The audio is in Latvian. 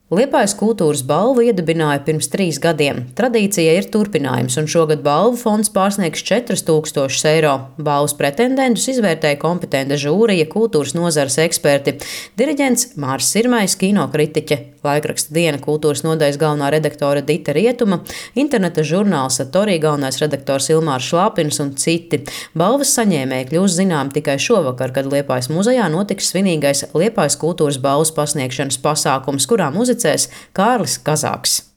Liepājas kultūras balvu iedibināja pirms 3 gadiem. Tradīcija ir turpinājums, un šogad balvu fonds pārsniegs 4000 eiro. Balvas pretendentus izvērtēja kompetenta žūrija, kultūras nozares eksperti, diriģents Māris Sirmais, kinokritiķe, laikraksta Diena kultūras nodaļas galvenā redaktore Dita Rietuma, interneta žurnāla Satorī galvenais redaktors Ilmārs Šlāpins un citi. Balvas saņēmēji kļūs zinām tikai šovakar, kad Liepājas muzejā notiks svinīgais Liepājas kultūras balvas pasniegšanas pasākums, kurā muzicēs Kārlis Kazāks.